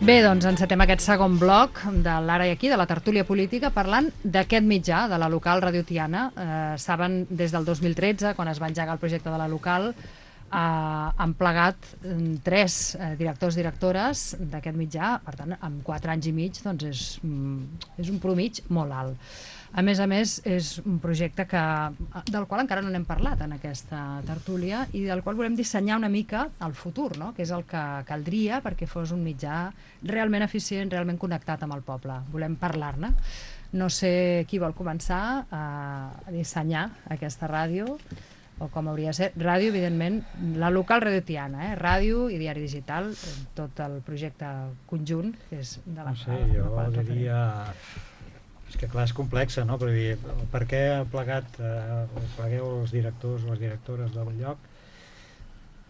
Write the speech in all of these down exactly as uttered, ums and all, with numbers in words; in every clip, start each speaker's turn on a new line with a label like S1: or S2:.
S1: Bé, doncs encetem aquest segon bloc de l'Ara i Aquí, de la tertúlia política, parlant d'aquest mitjà, de la local Radio Tiana. Eh, saben, des del dos mil tretze, quan es va engegar el projecte de la local, eh, han plegat eh, tres eh, directors i directores d'aquest mitjà. Per tant, en quatre anys i mig, doncs és, és un promig molt alt. A més a més, és un projecte que, del qual encara no n'hem parlat en aquesta tertúlia i del qual volem dissenyar una mica el futur, no? Que és el que caldria perquè fos un mitjà realment eficient, realment connectat amb el poble. Volem parlar-ne. No sé qui vol començar a dissenyar aquesta ràdio, o com hauria de ser. Ràdio, evidentment, la local Radio Tiana, eh? Ràdio i diari digital, tot el projecte conjunt, que és de la...
S2: No sé, jo diria... És que clar, és complexa, no? Però dir, per què ha plegat, eh, plegueu els directors o les directores del lloc?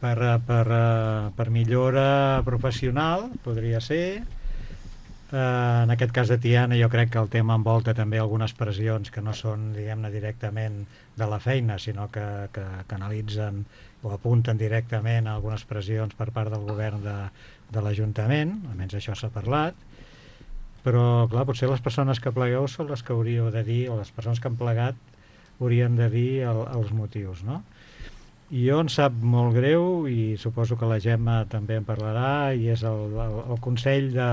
S2: Per, per, per millora professional, podria ser. Eh, en aquest cas de Tiana jo crec que el tema envolta també algunes pressions que no són, diguem-ne, directament de la feina, sinó que, que, que analitzen o apunten directament a algunes pressions per part del govern de, de l'Ajuntament, almenys això s'ha parlat. Però, clar, potser les persones que plegueu són les que hauríeu de dir, o les persones que han plegat haurien de dir el, els motius, no? I jo em sap molt greu, i suposo que la Gemma també en parlarà, i és el, el, el Consell de,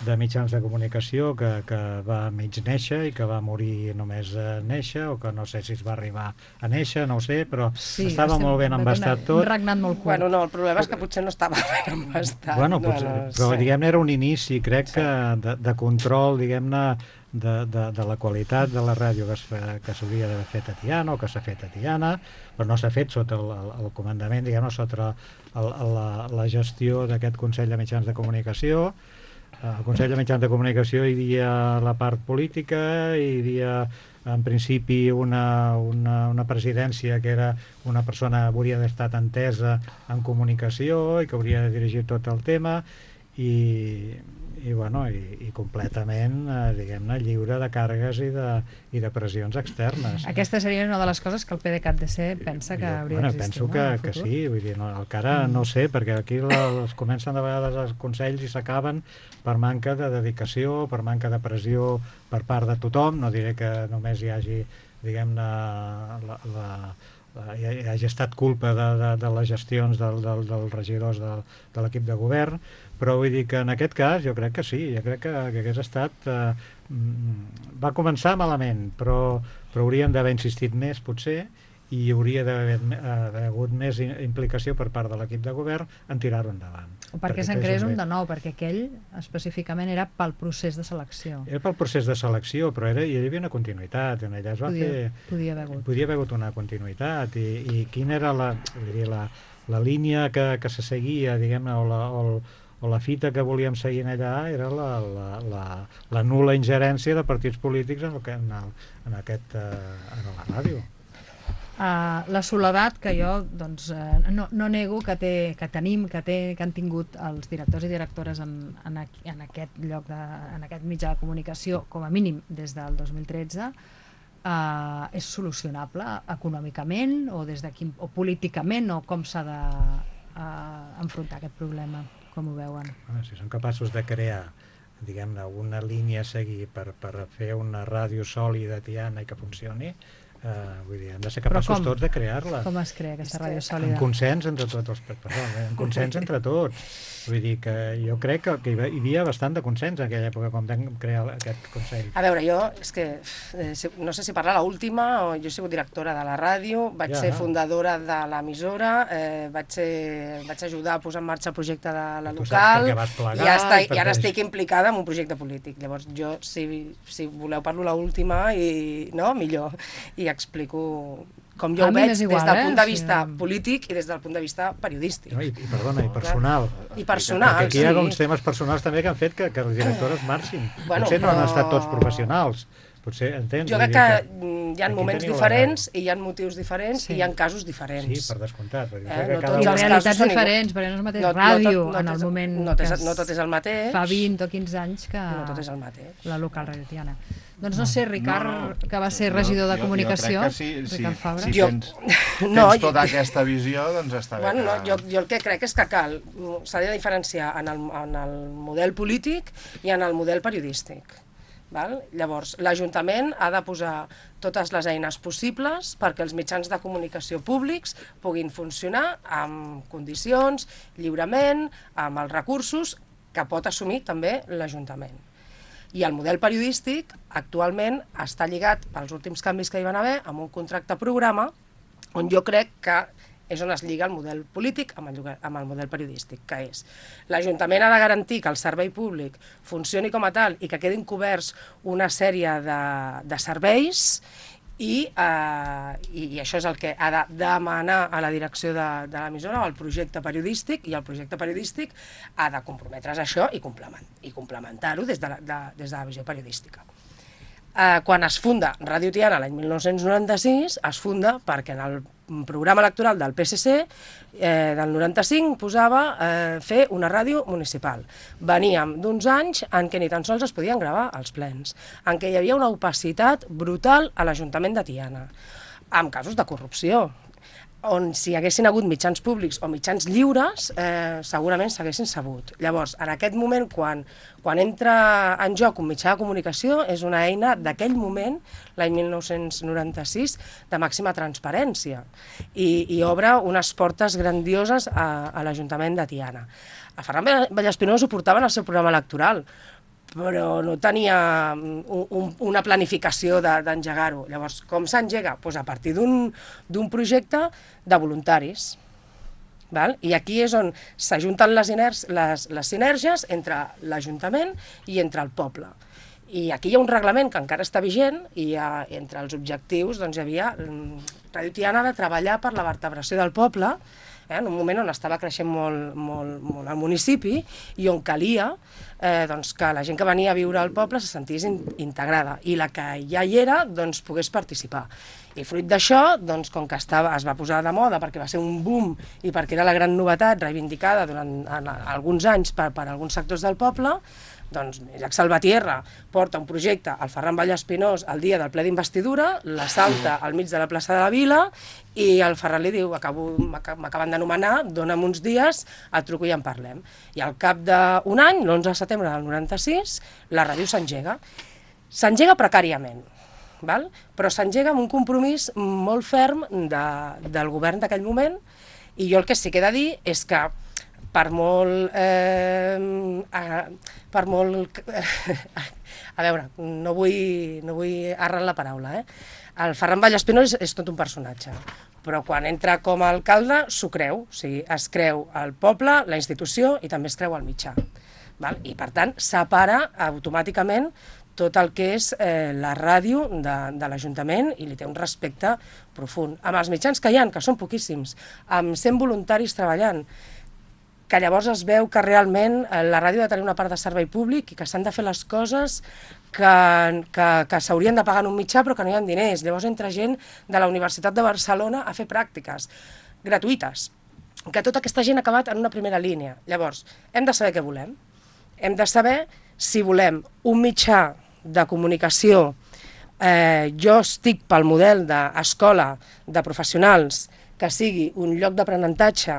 S2: de Mitjans de Comunicació que, que va mig néixer i que va morir només a néixer, o que no sé si es va arribar a néixer, no ho sé, però sí, estava molt ben embastat tot.
S1: Un regnat molt curt.
S3: Bueno, no, el problema és que potser no estava ben embastat.
S2: Bueno, potser, no, no, però sí. Diguem-ne era un inici, crec sí. que de, de control, diguem-ne, de, de, de la qualitat de la ràdio que, que s'hauria d'haver fet a Tiana, o que s'ha fet a Tiana, però no s'ha fet sota el, el, el comandament, diguem-ne, sota el, la, la gestió d'aquest Consell de Mitjans de Comunicació. Al Consell de Mitjans de Comunicació hi havia la part política, hi havia en principi una, una, una presidència que era una persona que hauria d'estar entesa en comunicació i que hauria de dirigir tot el tema i, i, bueno, i, i completament, eh, diguem-ne, lliure de càrregues i de, i de pressions externes.
S1: Aquesta seria una de les coses que el P D C A T D C pensa que jo, hauria
S2: bueno,
S1: d'existir.
S2: Penso que, no, que sí, vull dir, no, encara mm. no sé, perquè aquí la, es comencen de vegades els consells i s'acaben per manca de dedicació, per manca de pressió per part de tothom. No diré que només hi hagi, diguem-ne, la, la, la, hi hagi estat culpa de, de, de les gestions del, del, dels regidors del, de l'equip de govern, però vull dir que en aquest cas jo crec que sí, jo crec que, que hagués estat... Eh, va començar malament, però, però hauríem d'haver insistit més, potser, i hi hauria d'haver eh, hagut més implicació per part de l'equip de govern en tirar-ho endavant.
S1: O perquè, perquè se'n creés un de nou, perquè aquell específicament era pel procés de selecció.
S2: Era pel procés de selecció, però era, hi havia una continuïtat, en allà es va
S1: podia,
S2: fer...
S1: Podia haver hagut.
S2: Podia haver hagut una continuïtat, i, i quina era la, dir, la, la línia que, que se seguia, diguem-ne, o la... O el, o la fita que volíem seguir allà era la, la, la, la nul·la ingerència de partits polítics en, el, en, el, en, aquest, uh, en la ràdio.
S1: Uh, la soledat que jo doncs, uh, no, no nego que, té, que tenim, que, té, que han tingut els directors i directores en, en, en aquest lloc, de, en aquest mitjà de comunicació, com a mínim des del dos mil tretze, uh, és solucionable econòmicament o, des de quin, o políticament, o com s'ha d'enfrontar uh, aquest problema? Com ho veuen?
S2: Bueno, si són capaços de crear, diguem-ne, una línia a seguir per, per fer una ràdio sòlida Tiana i que funcioni, eh, vull dir, hem de ser capaços tots de crear-la.
S1: Com es crea aquesta ràdio sòlida?
S2: En consens entre tots els... Perdó, en consens entre tots. Vull dir que jo crec que, que hi havia bastant de consens en aquella època quan vam crear aquest Consell.
S3: A veure, jo, és que eh, no sé si parlar l'última, o jo he sigut directora de la ràdio, vaig ja. ser fundadora de l'emissora, eh, vaig, ser, vaig ajudar a posar en marxa el projecte de la
S2: tu
S3: local,
S2: plegar,
S3: i, està, i ara
S2: és...
S3: estic implicada en un projecte polític. Llavors jo, si, si voleu, parlo l'última, i no, millor, i explico com jo ho veig igual, des del eh? punt de vista sí. polític i des del punt de vista periodístic.
S2: No, i, i, perdona, i personal.
S3: I personal,
S2: perquè aquí
S3: sí.
S2: hi ha uns temes personals també que han fet que, que les directores marxin.
S3: Bueno,
S2: Potser
S3: però...
S2: no han estat tots professionals, Potser entens.
S3: Jo crec que hi ha moments diferents i hi ha motius diferents i hi ha casos diferents.
S2: Sí, per descomptat.
S1: I realitats diferents, perquè no és el mateix ràdio en el moment que
S3: no tot és el mateix.
S1: Fa vint o quinze anys que
S3: no tot és el mateix.
S1: La local radiotiana. Doncs no sé, Ricard, que va ser regidor de comunicació, Ricard Fabra.
S4: Si tens tota aquesta visió, doncs està bé.
S3: Jo el que crec és que cal, s'ha de diferenciar en el model polític i en el model periodístic. Val? Llavors, l'Ajuntament ha de posar totes les eines possibles perquè els mitjans de comunicació públics puguin funcionar amb condicions, lliurement, amb els recursos que pot assumir també l'Ajuntament. I el model periodístic actualment està lligat, pels últims canvis que hi van haver, amb un contracte programa on jo crec que és on es lliga el model polític amb el, amb el model periodístic, que és l'Ajuntament ha de garantir que el servei públic funcioni com a tal i que quedin coberts una sèrie de, de serveis i, eh, i, i això és el que ha de demanar a la direcció de, de l'emissora o al projecte periodístic, i el projecte periodístic ha de comprometre's a això i, complement, i complementar-ho des, de la, de, des de la visió periodística. Eh, quan es funda Ràdio Tiana l'any mil nou-cents noranta-sis, es funda perquè en el programa electoral del P S C eh, del noranta-cinc posava eh, fer una ràdio municipal. Veníem d'uns anys en què ni tan sols es podien gravar els plens, en què hi havia una opacitat brutal a l'Ajuntament de Tiana, amb casos de corrupció, on si hi haguessin hagut mitjans públics o mitjans lliures, eh, segurament s'haguessin sabut. Llavors, en aquest moment, quan, quan entra en joc un mitjà de comunicació, és una eina d'aquell moment, l'any mil nou-cents noranta-sis, de màxima transparència, i, i obre unes portes grandioses a, a l'Ajuntament de Tiana. A Ferran Vallespinós ho portava en el seu programa electoral, però no tenia un, un, una planificació d'engegar-ho. Llavors, com s'engega? Pues a partir d'un projecte de voluntaris. Val? I aquí és on s'ajunten les, les, les sinergies entre l'Ajuntament i entre el poble. I aquí hi ha un reglament que encara està vigent i ha, entre els objectius doncs, hi havia Ràdio Tiana de treballar per la vertebració del poble, eh, en un moment on estava creixent molt, molt, molt el municipi i on calia eh, doncs, que la gent que venia a viure al poble se sentís in, integrada i la que ja hi era doncs, pogués participar. I fruit d'això, doncs, com que estava, es va posar de moda perquè va ser un boom i perquè era la gran novetat reivindicada durant en, alguns anys per, per alguns sectors del poble, doncs Jacques Salvatierra porta un projecte al Ferran Vallespinós el dia del ple d'investidura, la salta al mig de la plaça de la Vila i el Ferran li diu, m'acaben d'anomenar, dona'm uns dies, et truco i en parlem. I al cap d'un any, l'onze de setembre del noranta-sis, la ràdio s'engega. S'engega precàriament, val? Però s'engega amb un compromís molt ferm de, del govern d'aquell moment, i jo el que sí que he de dir és que per molt... Eh, a, per molt... a veure, no vull, no vull errar la paraula, eh? El Ferran Vallespinós és, és tot un personatge, però quan entra com a alcalde s'ho creu, o sigui, es creu el poble, la institució i també es creu el mitjà. Val? I per tant separa automàticament tot el que és eh, la ràdio de, de l'Ajuntament i li té un respecte profund. Amb els mitjans que hi ha, que són poquíssims, amb cent voluntaris treballant, que llavors es veu que realment la ràdio ha de tenir una part de servei públic i que s'han de fer les coses que, que, que s'haurien de pagar en un mitjà però que no hi ha diners. Llavors entra gent de la Universitat de Barcelona a fer pràctiques gratuïtes, que tota aquesta gent ha acabat en una primera línia. Llavors, hem de saber què volem. Hem de saber si volem un mitjà de comunicació. Eh, jo estic pel model d'escola de professionals que sigui un lloc d'aprenentatge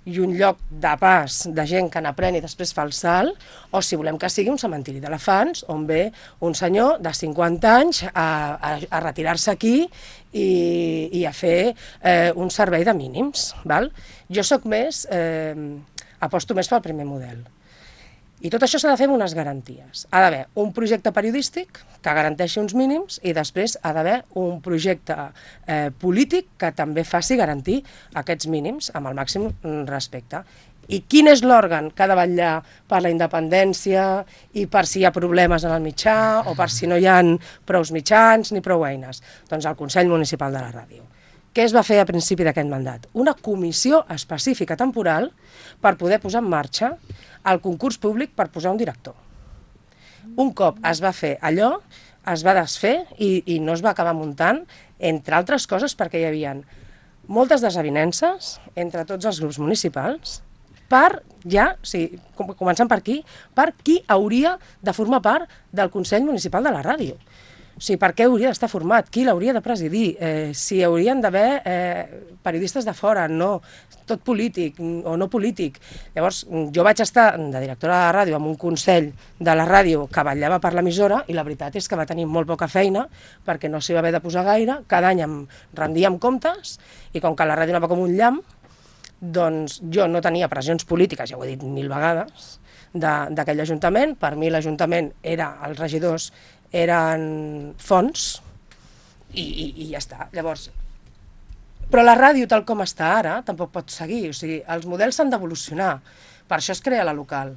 S3: i un lloc de pas de gent que n'aprèn i després fa el salt, o si volem que sigui un cementiri d'elefants on ve un senyor de cinquanta anys a, a, a retirar-se aquí i, i a fer eh, un servei de mínims. Val? Jo soc més, eh, aposto més pel primer model. I tot això s'ha de fer amb unes garanties. Ha d'haver un projecte periodístic que garanteixi uns mínims i després ha d'haver un projecte eh, polític que també faci garantir aquests mínims amb el màxim respecte. I quin és l'òrgan que ha de vetllar per la independència i per si hi ha problemes en el mitjà o per si no hi ha prou mitjans ni prou eines? Doncs el Consell Municipal de la Ràdio. Què es va fer a principi d'aquest mandat? Una comissió específica temporal per poder posar en marxa el concurs públic per posar un director. Un cop es va fer allò, es va desfer i, i no es va acabar muntant, entre altres coses perquè hi havia moltes desavinences entre tots els grups municipals per, ja, o sigui, començant per aquí, per qui hauria de formar part del Consell Municipal de la Ràdio. O sigui, per què hauria d'estar format? Qui l'hauria de presidir? Eh, si haurien d'haver eh, periodistes de fora, no, tot polític o no polític. Llavors, jo vaig estar de directora de la ràdio amb un consell de la ràdio que vetllava per l'emissora i la veritat és que va tenir molt poca feina perquè no s'hi va haver de posar gaire, cada any em rendíem comptes i com que la ràdio anava com un llamp, doncs jo no tenia pressions polítiques, ja ho he dit mil vegades, d'aquell ajuntament. Per mi l'Ajuntament era, els regidors eren fons i, i, i ja està. Llavors, però la ràdio tal com està ara tampoc pot seguir, o sigui, els models s'han d'evolucionar, per això es crea la local,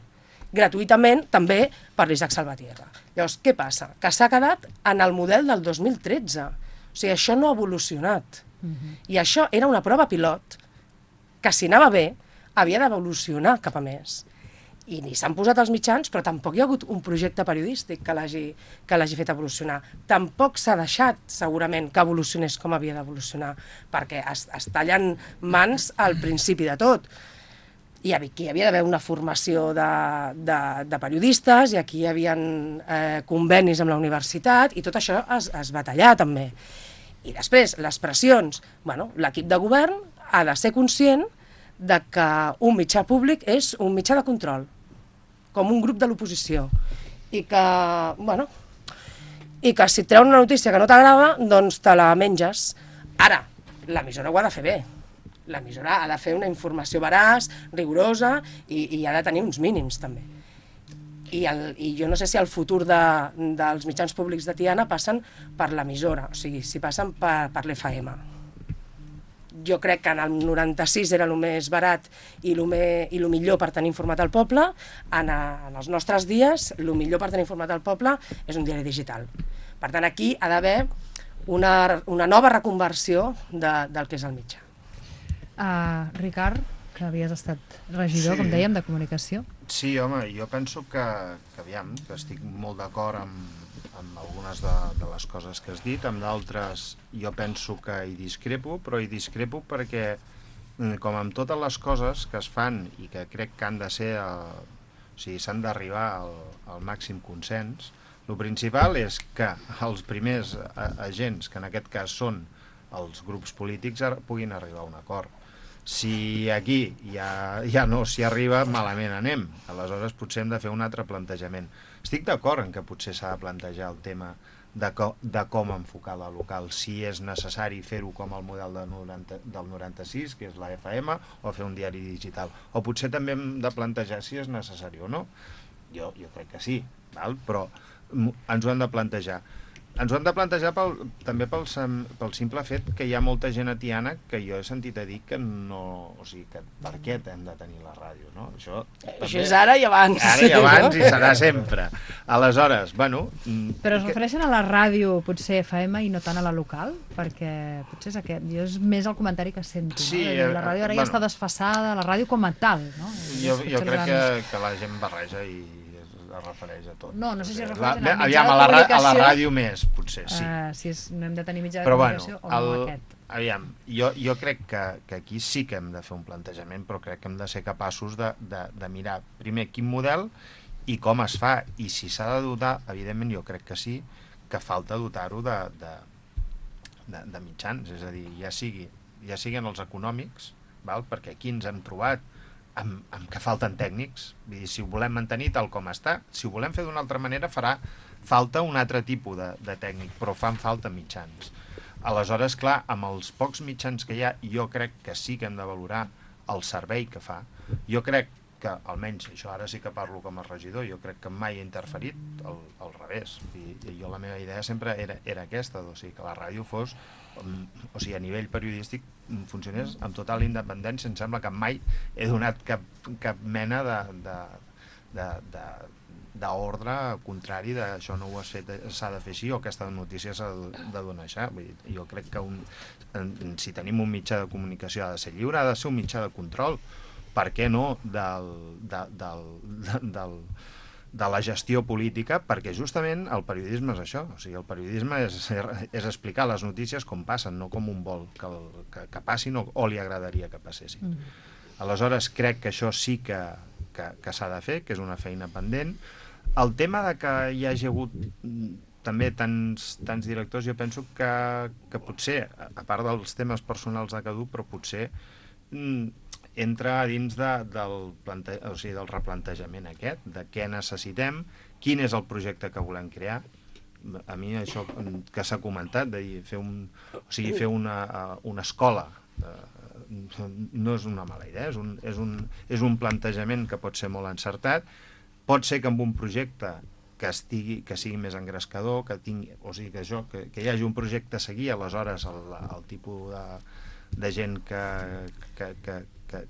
S3: gratuïtament també per l'Isaac Salvatierra. Llavors, què passa? Que s'ha quedat en el model del dos mil tretze, o sigui, això no ha evolucionat, uh-huh. I això era una prova pilot que si anava bé havia d'evolucionar cap a més. I ni s'han posat els mitjans, però tampoc hi ha hagut un projecte periodístic que l'hagi que l'hagi fet evolucionar. Tampoc s'ha deixat, segurament, que evolucionés com havia d'evolucionar, perquè es, es tallen mans al principi de tot. I aquí hi havia d'haver una formació de, de, de periodistes, i aquí hi havia eh, convenis amb la universitat, i tot això es, es va tallar, també. I després, les pressions. Bueno, l'equip de govern ha de ser conscient de que un mitjà públic és un mitjà de control, com un grup de l'oposició, i que, bueno, i que si et treu una notícia que no t'agrada, doncs te la menges. Ara, l'emissora ho ha de fer bé. L'emissora ha de fer una informació veraç, rigorosa, i, i ha de tenir uns mínims, també. I, el, i jo no sé si el futur de, dels mitjans públics de Tiana passen per l'emissora, o sigui, si passen per, per l'F M. Jo crec que en el noranta-sis era el més barat i el, me, i el millor per tenir informat el poble. En, a, en els nostres dies, el millor per tenir informat el poble és un diari digital. Per tant, aquí ha d'haver una, una nova reconversió de, del que és el mitjà.
S1: Uh, Ricard, que havies estat regidor, sí, com dèiem, de comunicació.
S4: Sí, home, jo penso que, que aviam, que estic molt d'acord amb, amb algunes de, de les coses que has dit, amb d'altres jo penso que hi discrepo, però hi discrepo perquè, com amb totes les coses que es fan i que crec que han de ser, el, o sigui, s'han d'arribar al, al màxim consens, el principal és que els primers agents, que en aquest cas són els grups polítics, puguin arribar a un acord. Si aquí ja, ja no s'hi arriba, malament anem. Aleshores potser hem de fer un altre plantejament. Estic d'acord en que potser s'ha de plantejar el tema de, co de com enfocar la local, si és necessari fer-ho com el model de noranta, del noranta-sis, que és la F M, o fer un diari digital. O potser també hem de plantejar si és necessari o no. Jo, jo crec que sí, val? Però ens ho hem de plantejar. Ens ho hem de plantejar pel, també pel, pel simple fet que hi ha molta gent a Tiana que jo he sentit a dir que no... O sigui, que per què hem de tenir la ràdio, no? Això,
S3: també, això és ara i abans.
S4: Ara i abans, no? I serà sempre. Aleshores, bueno...
S1: Però es refereixen a la ràdio, potser F M, i no tant a la local? Perquè potser és aquest. Jo és més el comentari que sento,
S4: sí,
S1: no? La ràdio ara bueno, ja està desfassada, la ràdio com a tal, no?
S4: Jo, jo crec que, que la gent barreja i es refereix a tot.
S1: No, no sé si es refereix la,
S4: a mitjà de comunicació. A la ràdio més, potser, sí.
S1: Uh, si és, no hem de tenir mitjà de
S4: però,
S1: comunicació
S4: bueno,
S1: o no
S4: el,
S1: aquest.
S4: Aviam, jo, jo crec que, que aquí sí que hem de fer un plantejament, però crec que hem de ser capaços de, de, de mirar primer quin model i com es fa, i si s'ha de dotar, evidentment jo crec que sí, que falta dotar-ho de, de, de, de mitjans, és a dir, ja, sigui, ja siguin els econòmics, val? Perquè aquí ens hem trobat Amb, amb que falten tècnics. Vull dir, si ho volem mantenir tal com està, si ho volem fer d'una altra manera farà falta un altre tipus de, de tècnic, però fan falta mitjans. Aleshores, clar, amb els pocs mitjans que hi ha, jo crec que sí que hem de valorar el servei que fa. Jo crec que, almenys, això ara sí que parlo com a regidor, jo crec que mai he interferit al, al revés. I, i jo la meva idea sempre era, era aquesta, o sigui, que la ràdio fos, o sigui, a nivell periodístic funcionés amb total independència. Em sembla que mai he donat cap, cap mena de, de, de, de, d'ordre contrari de això no ho has fet, s'ha de fer així, o aquesta notícia s'ha de donar això. Vull dir, jo crec que un, si tenim un mitjà de comunicació ha de ser lliure, ha de ser un mitjà de control, per què no, del, de, del, de, del, de la gestió política, perquè justament el periodisme és això, o sigui, el periodisme és, és explicar les notícies com passen, no com un vol que, que, que passin o, o li agradaria que passessin. Mm. Aleshores, crec que això sí que, que, que s'ha de fer, que és una feina pendent. El tema de que hi hagi hagut també tants, tants directors, jo penso que, que potser, a part dels temes personals de cada un, però potser mm, entra dins de, del, plante... o sigui, del replantejament aquest, de què necessitem, quin és el projecte que volem crear. A mi això que s'ha comentat, de dir, fer, un, o sigui, fer una, una escola, no és una mala idea, és un, és, un, és un plantejament que pot ser molt encertat. Pot ser que amb un projecte que, estigui, que sigui més engrescador, que, tingui, o sigui, que, això, que, que hi hagi un projecte a seguir, aleshores el, el tipus de, de gent que, que, que, que,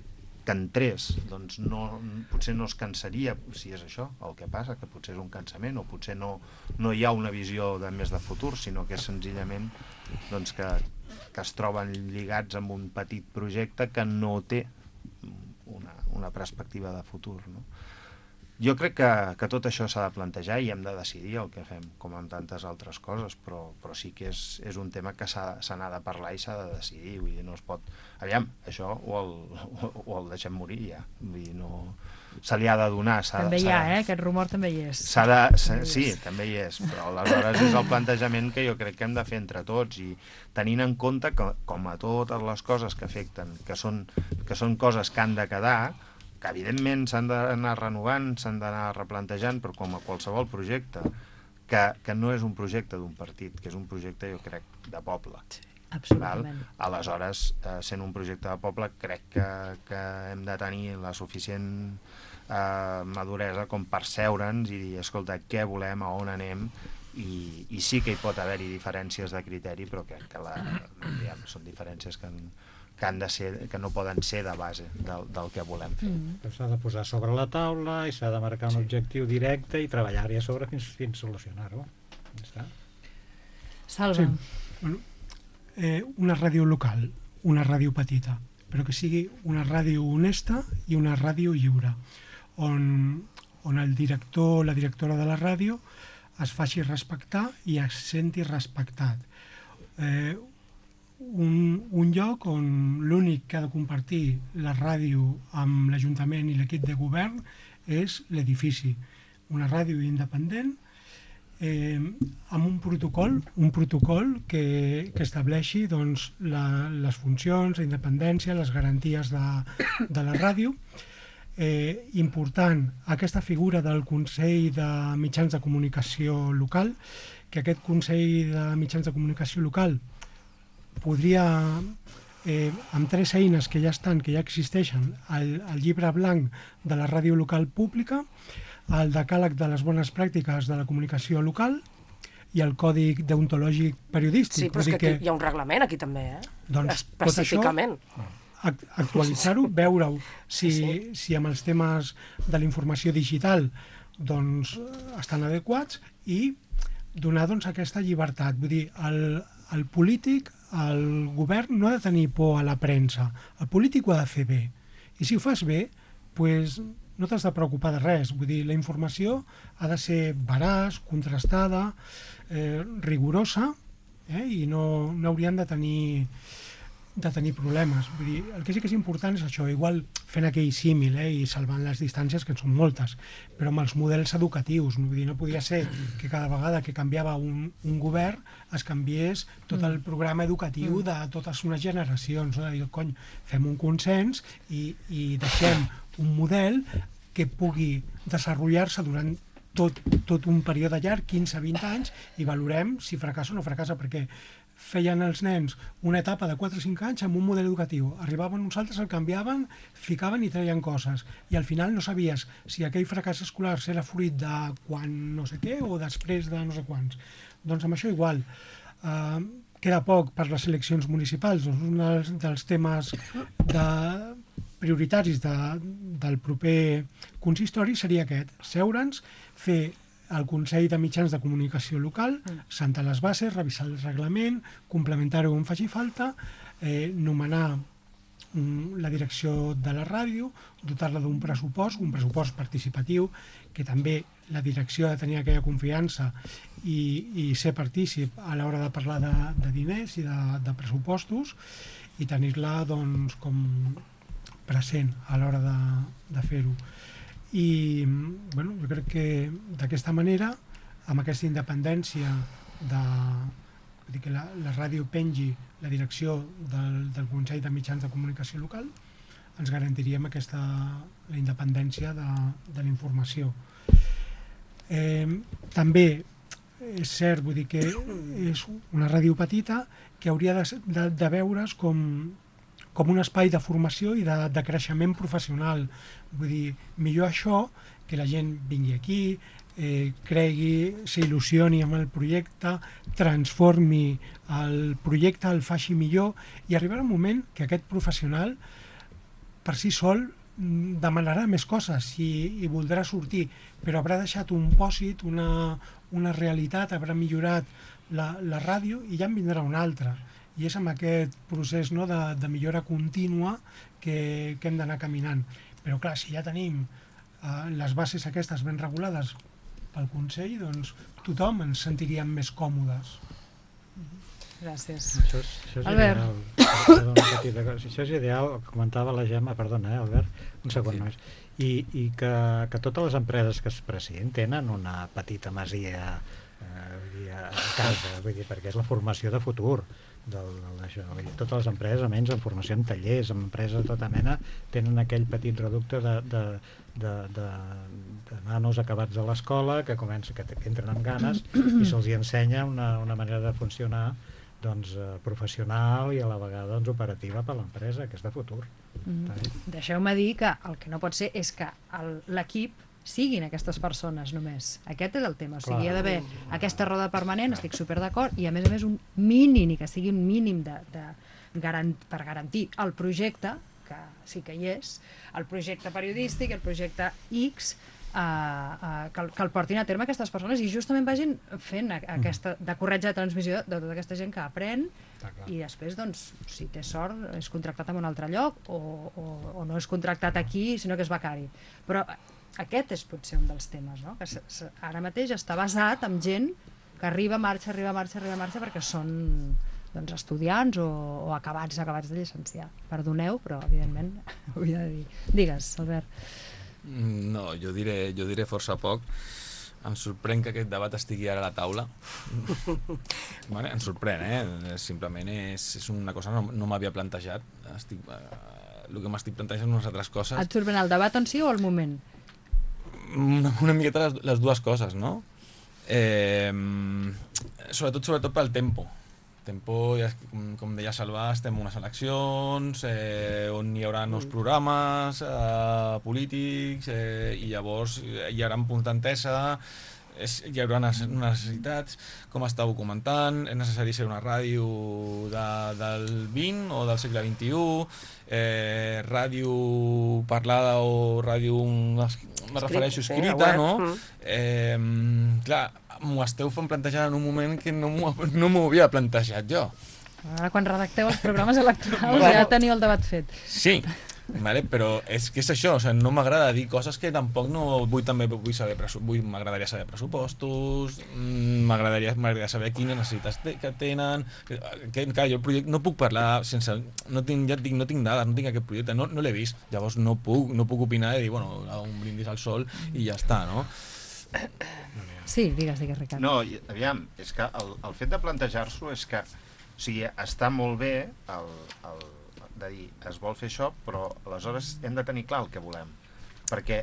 S4: que entrés, doncs no, potser no es cansaria, si és això el que passa, que potser és un cansament, o potser no, no hi ha una visió de més de futur, sinó que és senzillament doncs, que, que es troben lligats amb un petit projecte que no té una, una perspectiva de futur, no? Jo crec que, que tot això s'ha de plantejar i hem de decidir el que fem, com amb tantes altres coses, però, però sí que és, és un tema que se n'ha de parlar i s'ha de decidir, vull dir, no es pot... Aviam, això o el, o el deixem morir ja, vull dir, no... Se li ha de donar...
S1: També hi ha, eh? Aquest rumor també hi és.
S4: De, sí, també hi és, però aleshores és el plantejament que jo crec que hem de fer entre tots i tenint en compte que, com a totes les coses que afecten, que són, que són coses que han de quedar, que evidentment s'han d'anar renovant, s'han d'anar replantejant, però com a qualsevol projecte, que, que no és un projecte d'un partit, que és un projecte, jo crec, de poble.
S1: Sí, absolutament.
S4: Val? Aleshores, eh, sent un projecte de poble, crec que, que hem de tenir la suficient eh, maduresa com per seure'ns i dir, escolta, què volem, a on anem, i, i sí que hi pot haver-hi diferències de criteri, però crec que la, diguem, són diferències que... En, que, han de ser, que no poden ser de base del, del que volem fer.
S2: Mm. S'ha de posar sobre la taula i s'ha de marcar un sí. objectiu directe i treballar-hi a sobre fins, fins solucionar-ho. Ja està.
S1: Salva.
S5: Sí. Bueno, eh, una ràdio local, una ràdio petita, però que sigui una ràdio honesta i una ràdio lliure, on, on el director o la directora de la ràdio es faci respectar i es senti respectat. Eh, Un, un lloc on l'únic que ha de compartir la ràdio amb l'Ajuntament i l'equip de govern és l'edifici. Una ràdio independent eh, amb un protocol, un protocol que, que estableixi doncs, la, les funcions, la independència, les garanties de, de la ràdio. Eh, important, aquesta figura del Consell de Mitjans de Comunicació Local, que aquest Consell de Mitjans de Comunicació Local podria, eh, amb tres eines que ja estan, que ja existeixen, el, el llibre blanc de la ràdio local pública, el decàleg de les bones pràctiques de la comunicació local i el còdic deontològic periodístic.
S3: Sí, però és que, que hi ha un reglament aquí també, eh?
S5: Doncs
S3: específicament.
S5: Actualitzar-ho, veure-ho si, sí. si amb els temes de la informació digital doncs, estan adequats i donar doncs, aquesta llibertat. Vull dir, el, el polític, el govern no ha de tenir por a la premsa, el polític ho ha de fer bé, i si ho fas bé pues, no t'has de preocupar de res. Vull dir, la informació ha de ser veraç, contrastada, eh, rigorosa, eh, i no, no haurien de tenir de tenir problemes. Vull dir, el que sí que és important és això, igual fent aquell símil eh, i salvant les distàncies, que són moltes, però amb els models educatius. Vull dir, no podia ser que cada vegada que canviava un, un govern es canviés tot el programa educatiu de totes unes generacions. No? I, cony, fem un consens i, i deixem un model que pugui desenvolupar-se durant tot, tot un període llarg, quinze a vint anys, i valorem si fracassa o no fracassa, perquè feien els nens una etapa de quatre o cinc anys amb un model educatiu. Arribaven uns altres, el canviaven, ficaven i treien coses. I al final no sabies si aquell fracàs escolar era fruit de quan no sé què o després de no sé quants. Doncs amb això igual. Uh, queda poc per les eleccions municipals. Doncs un dels, dels temes de, prioritaris de, del proper consistori seria aquest. Seure'ns, fer el Consell de Mitjans de Comunicació Local, sentar les bases, revisar el reglament, complementar-ho on faci falta, eh, nomenar um, la direcció de la ràdio, dotar-la d'un pressupost, un pressupost participatiu, que també la direcció ha de tenir aquella confiança i, i ser partícip a l'hora de parlar de, de diners i de, de pressupostos i tenir-la doncs, com present a l'hora de, de fer-ho. I bueno, jo crec que d'aquesta manera, amb aquesta independència de, dir que la, la ràdio pengi la direcció del, del Consell de Mitjans de Comunicació Local, ens garantiríem aquesta, la independència de, de la informació. Eh, també és cert, vull dir que és una ràdio petita que hauria de, de, de veure's com, com un espai de formació i de, de creixement professional. Vull dir, millor això que la gent vingui aquí, eh, cregui, s'il·lusioni amb el projecte, transformi el projecte, el faci millor i arribarà un moment que aquest professional per si sol demanarà més coses i, i voldrà sortir, però haurà deixat un pòsit, una, una realitat, haurà millorat la, la ràdio i ja en vindrà una altra. I és amb aquest procés, no, de, de millora contínua que, que hem d'anar caminant. Però clar, si ja tenim eh, les bases aquestes ben regulades pel Consell, doncs tothom ens sentiríem més còmodes.
S1: Gràcies.
S2: Això és, això és
S1: Albert.
S2: ideal. Perdó, una petita cosa. Això és ideal, comentava la Gemma, perdona, eh, Albert, un segon
S6: Sí.
S2: només, i, i que, que totes les empreses que es precien tenen una petita masia eh, vull dir, a casa, vull dir, perquè és la formació de futur del, del, d'això. Vull dir, totes les empreses, almenys en formació en tallers, en empreses de tota mena, tenen aquell petit reducte de, de, de, de, de nanos acabats de l'escola que comença, que, que entren amb ganes i se'ls hi ensenya una, una manera de funcionar doncs, eh, professional i a la vegada doncs, operativa per a l'empresa, que és de futur.
S1: Mm. Deixeu-me dir que el que no pot ser és que el- l'equip siguin aquestes persones només. Aquest és el tema. O sigui, hi ha d'haver aquesta roda permanent, estic super d'acord, i a més a més un mínim, i que sigui un mínim de, de garan per garantir el projecte, que sí que hi és, el projecte periodístic, el projecte X, Uh, uh, que, el, que el portin a terme aquestes persones i justament vagin fent a, aquesta, de corretja de transmissió de tota aquesta gent que aprèn i després, doncs, si té sort és contractat en un altre lloc o, o, o no és contractat aquí sinó que és becari, però aquest és potser un dels temes, no? Que s -s ara mateix està basat en gent que arriba, marxa, arriba, marxa, arriba, marxa perquè són doncs, estudiants o, o acabats acabats de llicenciar. Perdoneu, però evidentment ho havia de dir. Digues, Albert.
S6: No, jo diré, jo diré força poc. Em sorprèn que aquest debat estigui ara a la taula. Vale? Em sorprèn, eh? Simplement és, és una cosa que no, no m'havia plantejat. Estic, eh, el que m'estic plantejant unes altres coses.
S1: Et sorprèn el debat en si o el moment?
S6: Una, una miqueta les, les dues coses, no? Eh, sobretot, sobretot pel tempo. Tempo, ja, com, com deia Salva, estem en unes eleccions eh, on hi haurà nous programes eh, polítics eh, i llavors hi haurà un punt d'entesa, és, hi haurà necessitats, com estàveu comentant, és necessari ser una ràdio de, del vint o del segle vint-i-u, eh, ràdio parlada o ràdio, me refereixo, escrita, no? Eh, clar, m'ho esteu fent plantejar en un moment que no m'ho no havia plantejat jo.
S1: Ara, quan redacteu els programes electorals ja teniu el debat fet.
S6: Sí, vale, però és que és això, o sigui, no m'agrada dir coses que tampoc no vull també vull saber, vull m'agradaria saber pressupostos, m'agradaria m'agradaria saber quines necessitats te, que tenen, que, que clar, jo el projecte no puc parlar sense, no tinc, ja et dic, no tinc dades, no tinc aquest projecte, no, no l'he vist, llavors no puc, no puc opinar i dir, bueno, un brindis al sol i ja està, no?
S1: Sí, digues, digues, Ricard.
S4: No, aviam, és que el, el fet de plantejar-s'ho és que, o sigui, està molt bé el, el, de dir, es vol fer això, però aleshores hem de tenir clar el que volem, perquè,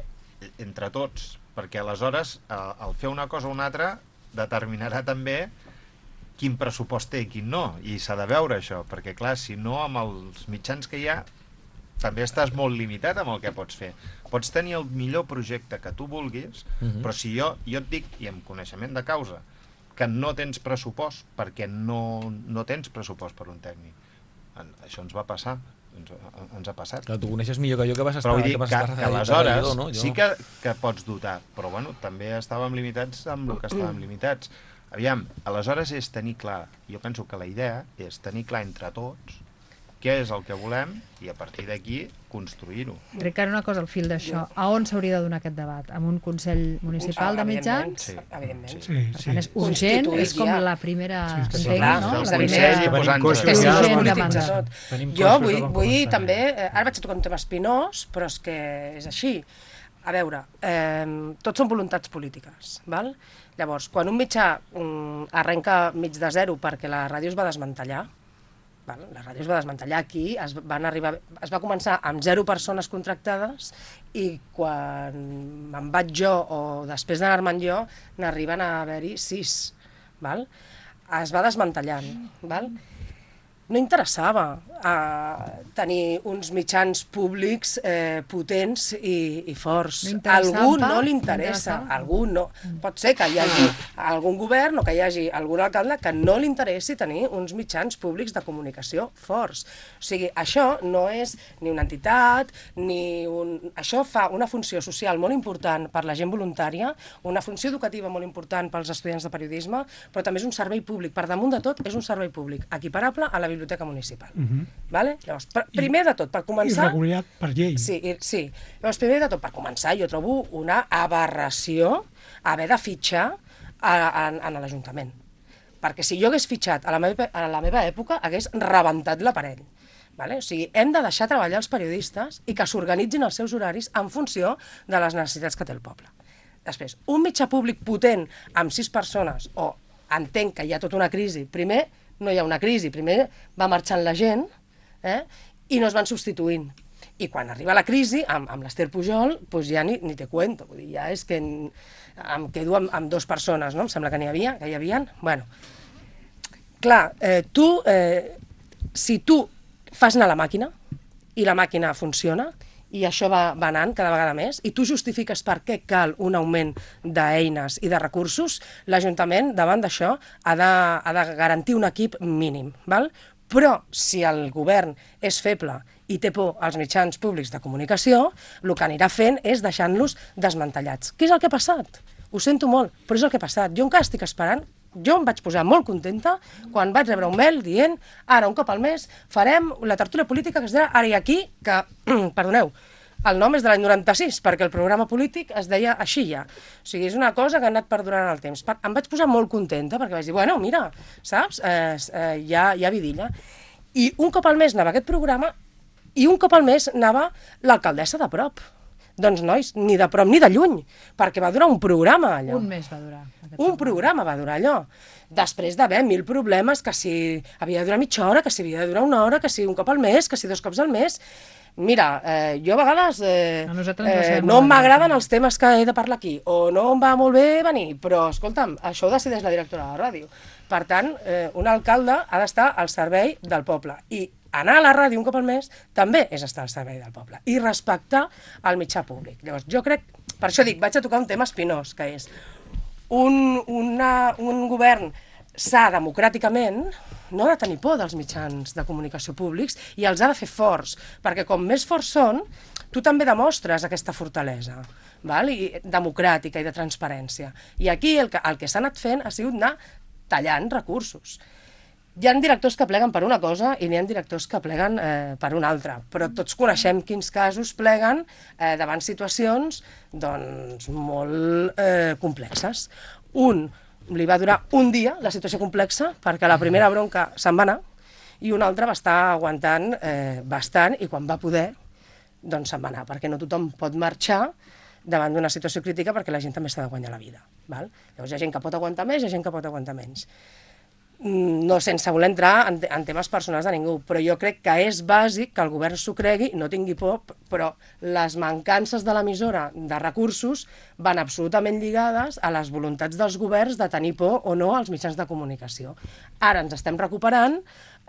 S4: entre tots, perquè aleshores el, el fer una cosa o una altra determinarà també quin pressupost té i quin no, i s'ha de veure això, perquè clar, si no amb els mitjans que hi ha també estàs molt limitat amb el que pots fer. Pots tenir el millor projecte que tu vulguis, uh-huh. però si jo, jo et dic, i amb coneixement de causa, que no tens pressupost, perquè no, no tens pressupost per un tècnic. En, això ens va passar, ens, ens ha passat.
S6: Clar, tu coneixes millor que jo que vas estar...
S4: Però vull dir
S6: que,
S4: que,
S6: estar
S4: que aleshores
S6: redador, no?
S4: sí que, que pots dotar, però bueno, també estàvem limitats amb el que estàvem limitats. Aviam, aleshores és tenir clar, jo penso que la idea és tenir clar entre tots què és el que volem i a partir d'aquí construir-ho.
S1: Ricard, una cosa al fil d'això. A on s'hauria de donar aquest debat? En un Consell Municipal de Mitjans?
S4: Sí,
S3: evidentment.
S5: Sí,
S1: Per
S5: sí.
S1: tant, és urgent, és com la primera...
S5: Sí,
S1: entenc,
S3: clar,
S1: no?
S3: és
S1: La
S3: la
S1: primera...
S3: primera-
S2: Venim
S3: És que
S2: costos,
S3: si
S2: ja
S3: no
S2: es
S3: es
S1: urgent
S3: polititza
S1: demanda.
S3: tot.
S2: Tenim
S3: Jo
S2: costos
S3: vull,
S2: de com
S3: vull
S2: començar.
S3: també... eh, Ara vaig a tocar un tema espinós, però és que és així. A veure, eh, tots són voluntats polítiques, val? Llavors, quan un mitjà mm, arrenca mig de zero perquè la ràdio es va desmantellar, val? La ràdio es va desmantellar aquí, es, van arribar, es va començar amb zero persones contractades i quan me'n vaig jo o després d'anar-me'n jo n'arriben a haver-hi sis. Val? Es va desmantellant. Val? No interessava eh, tenir uns mitjans públics eh, potents i, i forts.
S1: No
S3: A
S1: interessava,
S3: algú
S1: pa?
S3: no li
S1: No
S3: interessa,
S1: interessava?
S3: a algú no. Pot ser que hi hagi algun govern o que hi hagi algun alcalde que no li interessi tenir uns mitjans públics de comunicació forts. O sigui, això no és ni una entitat, ni un... Això fa una funció social molt important per la gent voluntària, una funció educativa molt important pels estudiants de periodisme, però també és un servei públic. Per damunt de tot, és un servei públic, equiparable a la biblioteca municipal.
S5: Mhm.
S3: Vale? Llavors, per, primer de tot, per
S5: I
S3: començar...
S5: regulat per llei.
S3: Sí, i- sí. Llavors, primer de tot, per començar, jo trobo una aberració haver de fitxar a, a, en l'Ajuntament. Perquè si jo hagués fitxat a la meva, a la meva època, hagués rebentat l'aparell. Vale? O sigui, hem de deixar treballar els periodistes i que s'organitzin els seus horaris en funció de les necessitats que té el poble. Després, un mitjà públic potent amb sis persones, o entenc que hi ha tota una crisi, primer no hi ha una crisi, primer va marxant la gent, eh? I no es van substituint. I quan arriba la crisi, amb, amb l'Ester Pujol, doncs ja ni, ni te cuento, vull dir, ja és que en, em quedo amb, amb dues persones, no? Em sembla que n'hi havia, que hi havia. Bueno, clar, eh, tu, eh, si tu fas anar la màquina, i la màquina funciona, i això va, va anant cada vegada més, i tu justifiques per què cal un augment d'eines i de recursos, l'Ajuntament, davant d'això, ha, de, ha de garantir un equip mínim. Val? Però, si el govern és feble i té por als mitjans públics de comunicació, el que anirà fent és deixant-los desmantellats. Què és el que ha passat? Ho sento molt, però és el que ha passat. Jo encara estic esperant. Jo em vaig posar molt contenta quan vaig rebre un mail dient ara, un cop al mes, farem la tertúlia política que es dirà Ara i Aquí, que, perdoneu, el nom és de l'any noranta-sis, perquè el programa polític es deia així ja. O sigui, és una cosa que ha anat perdurant el temps. Em vaig posar molt contenta, perquè vaig dir, bueno, mira, saps, eh, eh, hi, ha, hi ha vidilla. I un cop al mes anava aquest programa i un cop al mes anava l'alcaldessa de prop. Doncs, nois, ni de prop ni de lluny, perquè va durar un programa, allò.
S1: Un mes va durar.
S3: Un programa va durar allò. Després d'haver mil problemes, que si havia de durar mitja hora, que si havia de durar una hora, que si un cop al mes, que si dos cops al mes. Mira, eh, jo a vegades eh,
S1: A nosaltres ens
S3: eh,
S1: sembla
S3: no
S1: molt
S3: m'agraden
S1: bé.
S3: els temes que he de parlar aquí, o no em va molt bé venir, però, escolta'm, això ho decideix la directora de la ràdio. Per tant, eh, un alcalde ha d'estar al servei del poble. I anar a la ràdio un cop al mes també és estar al servei del poble. I respectar el mitjà públic. Llavors, jo crec, per això dic, vaig a tocar un tema espinós, que és un, una, un govern s'ha democràticament no ha de tenir por dels mitjans de comunicació públics i els ha de fer forts, perquè com més forts són, tu també demostres aquesta fortalesa, val? I, democràtica i de transparència. I aquí el que, el que s'ha anat fent ha sigut anar tallant recursos. Hi ha directors que pleguen per una cosa i n'hi ha directors que pleguen eh, per una altra, però tots coneixem quins casos pleguen eh, davant situacions doncs, molt eh, complexes. Un li va durar un dia la situació complexa perquè la primera bronca se'n va anar i un altre va estar aguantant eh, bastant i quan va poder doncs se'n va anar, perquè no tothom pot marxar davant d'una situació crítica perquè la gent també s'ha de guanyar la vida. Val? Llavors hi ha gent que pot aguantar més i hi ha gent que pot aguantar menys. No sense voler entrar en, en temes personals de ningú, però jo crec que és bàsic que el govern s'ho cregui, no tingui por, però les mancances de l'emissora de recursos van absolutament lligades a les voluntats dels governs de tenir por o no als mitjans de comunicació. Ara ens estem recuperant,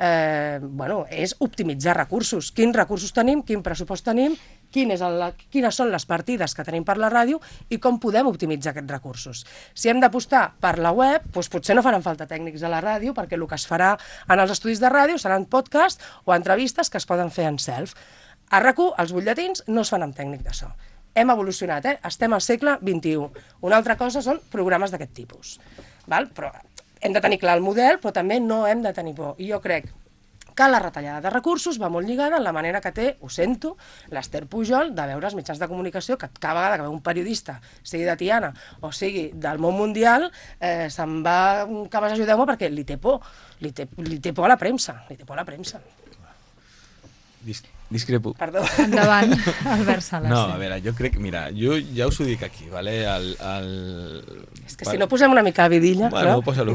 S3: eh, bueno, és optimitzar recursos. Quins recursos tenim, quin pressupost tenim, quin és el, quines són les partides que tenim per la ràdio i com podem optimitzar aquests recursos. Si hem d'apostar per la web, doncs potser no faran falta tècnics a la ràdio, perquè el que es farà en els estudis de ràdio seran podcasts o entrevistes que es poden fer en self. A RAC u, els butlletins no es fan amb tècnic de so. Hem evolucionat, eh? Estem al segle vint-i-u. Una altra cosa són programes d'aquest tipus. Val? Però hem de tenir clar el model, però també no hem de tenir por. I jo crec que la retallada de recursos va molt lligada en la manera que té, ho sento, l'Ester Pujol de veure els mitjans de comunicació que cada vegada que veu un periodista, sigui de Tiana o sigui del món mundial, eh, se'n va, que vas ajudeu-me perquè li té por, li té, li té por a la premsa, li té por a la premsa.
S6: Dis discrepo.
S3: Perdó.
S1: Endavant, Albert Sala.
S6: No, a veure, jo crec, mira, jo ja us ho dic aquí, vale? El, el...
S3: És que si no posem una mica de vidilla...
S6: Bueno,
S3: no?
S6: posa-lo.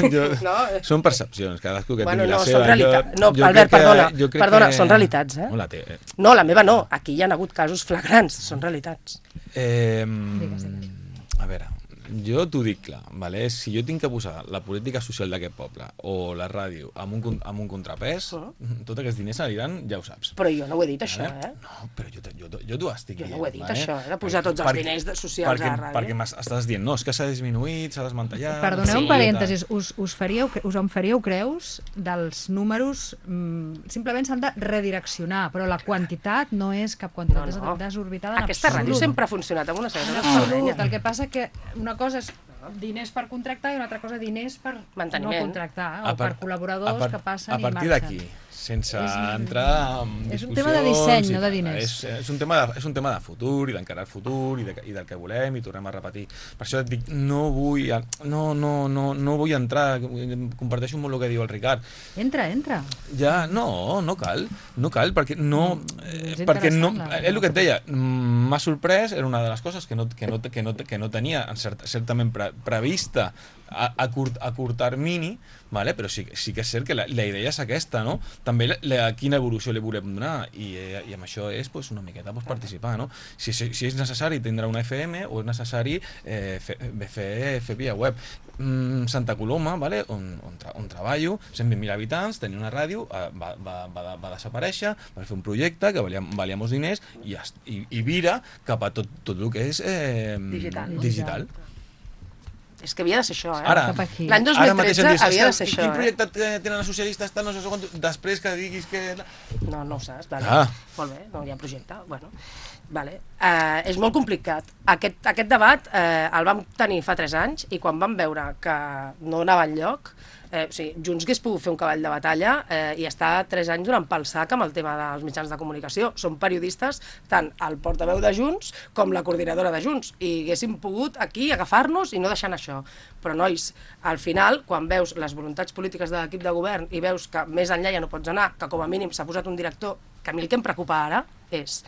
S6: Jo... no. Són percepcions, cadascú que
S3: bueno,
S6: tingui
S3: no,
S6: la seva.
S3: Són realitat...
S6: Jo,
S3: no,
S6: jo
S3: Albert,
S6: que,
S3: perdona, perdona,
S6: que...
S3: són realitats, eh?
S6: No, la té.
S3: No, la meva no, aquí hi ha hagut casos flagrants, són realitats.
S6: Eh,
S1: digues, digues.
S6: A veure, jo t'ho dic clar, vale? Si jo tinc que posar la política social d'aquest poble o la ràdio amb un, amb un contrapès, uh -huh. tots aquests diners aniran, ja ho saps.
S3: Però jo no ho he dit, això,
S6: vale?
S3: eh?
S6: No, però jo, jo, jo t'ho estic dient.
S3: Jo no ho he dit,
S6: vale?
S3: això, eh? De posar tots els
S6: perquè,
S3: diners de socials
S6: perquè,
S3: a la ràdio.
S6: Perquè estàs dient, no, és que s'ha disminuït, s'ha desmantellat...
S1: Perdoneu
S6: sí,
S1: un parèntesis, us, us, faríeu, us en faríeu creus dels números, mm, simplement s'han de redireccionar, però la quantitat no és cap quantitat
S3: No, no.
S1: desorbitada en
S3: Aquesta
S1: absolut.
S3: ràdio sempre ha funcionat amb una certa
S1: En absolut.
S3: espardenya.
S1: El que passa que una cosa és diners per contractar i una altra cosa diners per
S3: Manteniment.
S1: no contractar,
S6: A
S1: o
S6: par-
S1: per col·laboradors
S6: a par-
S1: que passen
S6: a
S1: i
S6: partir
S1: marxen.
S6: d'aquí, sense
S1: És un-
S6: entrar en
S1: és un
S6: discussions...
S1: tema de disseny,
S6: i
S1: no de
S6: tal.
S1: diners.
S6: És, és, un tema de, és un tema de futur i d'encarar el futur i, de, i del que volem i tornem a repetir. Per això et dic, no vull, no, no, no, no vull entrar, comparteixo molt el que diu el Ricard.
S1: Entra, entra.
S6: Ja, no, no cal, no cal, perquè no... Eh,
S1: és
S6: perquè no
S1: interessant, la-
S6: és el que et deia, mm, m'ha sorprès, era una de les coses que no, que no, que no, que no tenia cert, certament pre, prevista a, a, curt, a curt termini, vale? Però sí, sí que és cert que la, la idea és aquesta, no? També la, la, quina evolució li volem donar, i, eh, i amb això és pues, una miqueta pues, participar, no? Si, si, si és necessari tindrà una F M o és necessari eh, fer, fer, fer via web. Mm, Santa Coloma, vale? on, on, tra on treballo, cent vint mil habitants, tenia una ràdio, eh, va, va, va, va desaparèixer, va fer un projecte que valia, valia molts diners i, i, i vira cap a tot, tot el que és eh,
S3: Digital, no?
S6: digital.
S3: És que havia de ser això, eh?
S6: Ara,
S1: Cap aquí.
S3: L'any dos
S6: ara
S3: mil
S6: mateix
S3: tretze
S6: em dius,
S3: havia de
S6: "És que
S3: ser això,
S6: quin
S3: eh?
S6: projecte te- tenen els socialistes, tal, no sé quant, després que diguis que...
S3: No, no ho saps, vale.
S6: Ah.
S3: Molt bé, no hi ha projecte, bueno. Vale. Uh, és molt complicat. Aquest, aquest debat uh, el vam tenir fa tres anys i quan vam veure que no anava enlloc, eh, o sigui, Junts hagués pogut fer un cavall de batalla eh, i estar tres anys donant pel sac amb el tema dels mitjans de comunicació. Són periodistes, tant el portaveu de Junts com la coordinadora de Junts, i haguéssim pogut aquí agafar-nos i no deixant això. Però, nois, al final, quan veus les voluntats polítiques de l'equip de govern i veus que més enllà ja no pots anar, que com a mínim s'ha posat un director, que a mi el que em preocupa ara és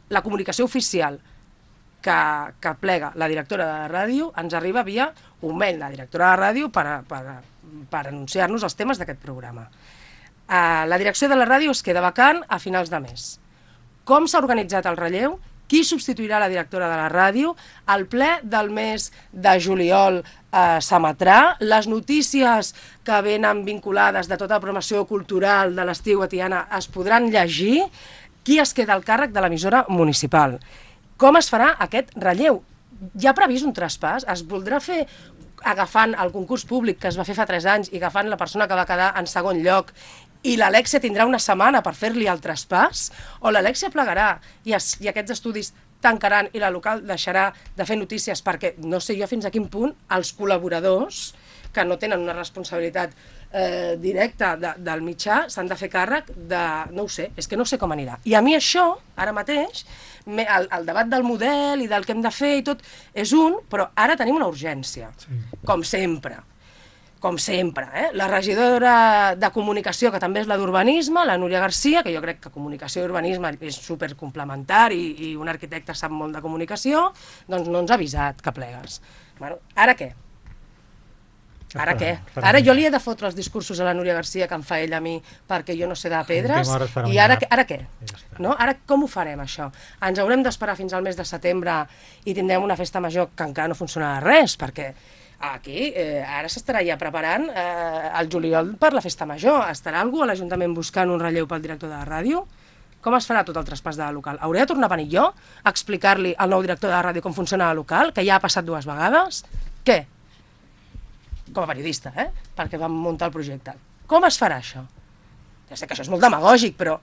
S3: la comunicació oficial que, que plega la directora de la ràdio ens arriba via un mail de la directora de la ràdio per, a, per, a, per anunciar-nos els temes d'aquest programa. Uh, la direcció de la ràdio es queda vacant a finals de mes. Com s'ha organitzat el relleu? Qui substituirà la directora de la ràdio? El ple del mes de juliol eh, s'emetrà. Les notícies que venen vinculades de tota la programació cultural de l'estiu a Tiana es podran llegir. Qui es queda al càrrec de l'emissora municipal? Com es farà aquest relleu? Hi ha previst un traspàs? Es voldrà fer agafant el concurs públic que es va fer fa tres anys i agafant la persona que va quedar en segon lloc i l'Alexia tindrà una setmana per fer-li el traspàs? O l'Alexia plegarà i, es, i aquests estudis tancaran i la local deixarà de fer notícies perquè no sé jo fins a quin punt els col·laboradors que no tenen una responsabilitat eh, directa de, del mitjà s'han de fer càrrec de... no ho sé, és que no sé com anirà. I a mi això, ara mateix, me, el, el debat del model i del que hem de fer i tot és un, però ara tenim una urgència, sí. Com sempre. Com sempre, eh? La regidora de comunicació, que també és la d'urbanisme, la Núria Garcia, que jo crec que comunicació i urbanisme és supercomplementari i un arquitecte sap molt de comunicació, doncs no ens ha avisat que plegues. Bueno, ara què? Ara què? Ara jo li he de fotre els discursos a la Núria Garcia que em fa ell a mi perquè jo no sé de pedres, i ara, ara què? No? Ara com ho farem, això? Ens haurem d'esperar fins al mes de setembre i tindrem una festa major que encara no funcionarà res, perquè aquí eh, ara s'estarà ja preparant eh, el juliol per la festa major. Estarà algú a l'Ajuntament buscant un relleu pel director de la ràdio? Com es farà tot el traspàs de la local? Hauré de tornar a venir jo a explicar-li al nou director de la ràdio com funciona la local, que ja ha passat dues vegades? Què? Com a periodista, eh? Perquè vam muntar el projecte. Com es farà això? Ja sé que això és molt demagògic, però